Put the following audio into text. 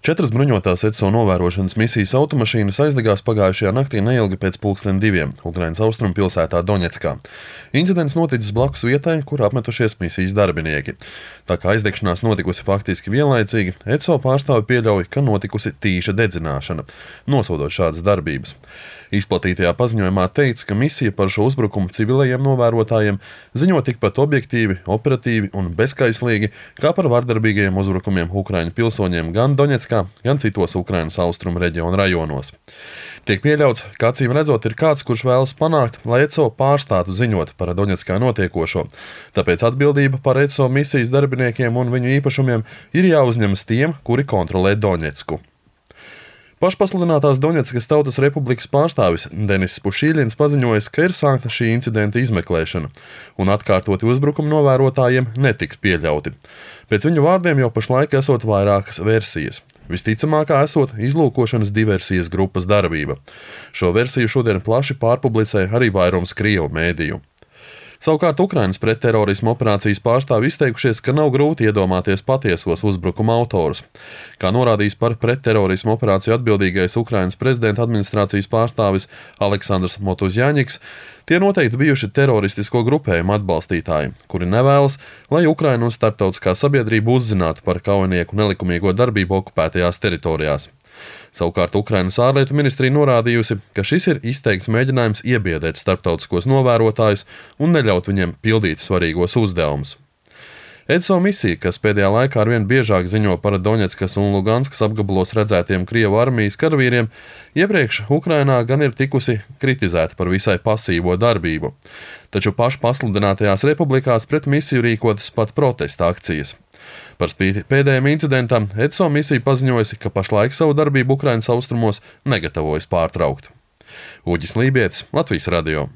4 bruņotās ECO novērošanas misijas automašīnas aizdegās pagājušajā naktī neilgi pēc 2:00 Ukrainas austrumu pilsētā Doņetskā. Incidents noticis blakus vietai, kur apmetušies misijas darbinieki. Tā kā aizdegšanās notikusi faktiski vienlaicīgi, ECO pārstāvi pieļauj, ka notikusi tīša dedzināšana, nosodot šādas darbības. Izplatītajā paziņojumā teikts, ka misija par šo uzbrukumu civilajiem novērotājiem ziņo tikpat objektīvi, operatīvi un bezkaislīgi, kā par vardarbīgajiem uzbrukumiem Ukraiņu pilsoņiem gan Doņetskā, gan citos Ukrainas austrumu reģionu rajonos. Tiek pieļauts, ka acīm redzot ir kāds, kurš vēlas panākt, lai ECO pārstātu ziņot par Doņetskā notiekošo. Tāpēc atbildība par ECO misijas darbiniekiem un viņu īpašumiem ir jāuzņemas tiem, kuri kontrolē Doņetsku. Pašpasludinātās Doņetskas Tautas Republikas pārstāvis Denis Pušīļins paziņojis, ka ir sākta šī incidenta izmeklēšana, un atkārtoti uzbrukumi novērotājiem netiks pieļauti. Pēc viņu vārdiem jau pašlaik esot vairākas versijas. Visticamākā esot izlūkošanas diversijas grupas darbība. Šo versiju šodien plaši pārpublicē arī vairums Krievu mēdīju. Savukārt Ukrainas pretterorisma operācijas pārstāvi izteikušies, ka nav grūti iedomāties patiesos uzbrukuma autorus. Kā norādījis par pretterorisma operāciju atbildīgais Ukrainas prezidenta administrācijas pārstāvis Aleksandrs Motuzjaņiks, tie noteikti bijuši teroristisko grupējumu atbalstītāji, kuri nevēlas, lai Ukraina un starptautiskā sabiedrība uzzinātu par kaujinieku nelikumīgo darbību okupētajās teritorijās. Savukārt Ukrainas ārlietu ministrija norādījusi, ka šis ir izteikts mēģinājums iebiedēt starptautiskos novērotājus un neļaut viņiem pildīt svarīgos uzdevumus. ECO misija, kas pēdējā laikā arvien biežāk ziņo par Doņetskas un Luganskas apgabalos redzētiem Krievu armijas karavīriem, iepriekš Ukrainā gan ir tikusi kritizēta par visai pasīvo darbību. Taču pašpasludinātajās republikās pret misiju rīkotas pat protesta akcijas. Par spīti pēdējiem incidentam ECO misija paziņojusi, ka pašlaik savu darbību Ukrainas austrumos negatavojas pārtraukt. Uģis Lībietis, Latvijas radio.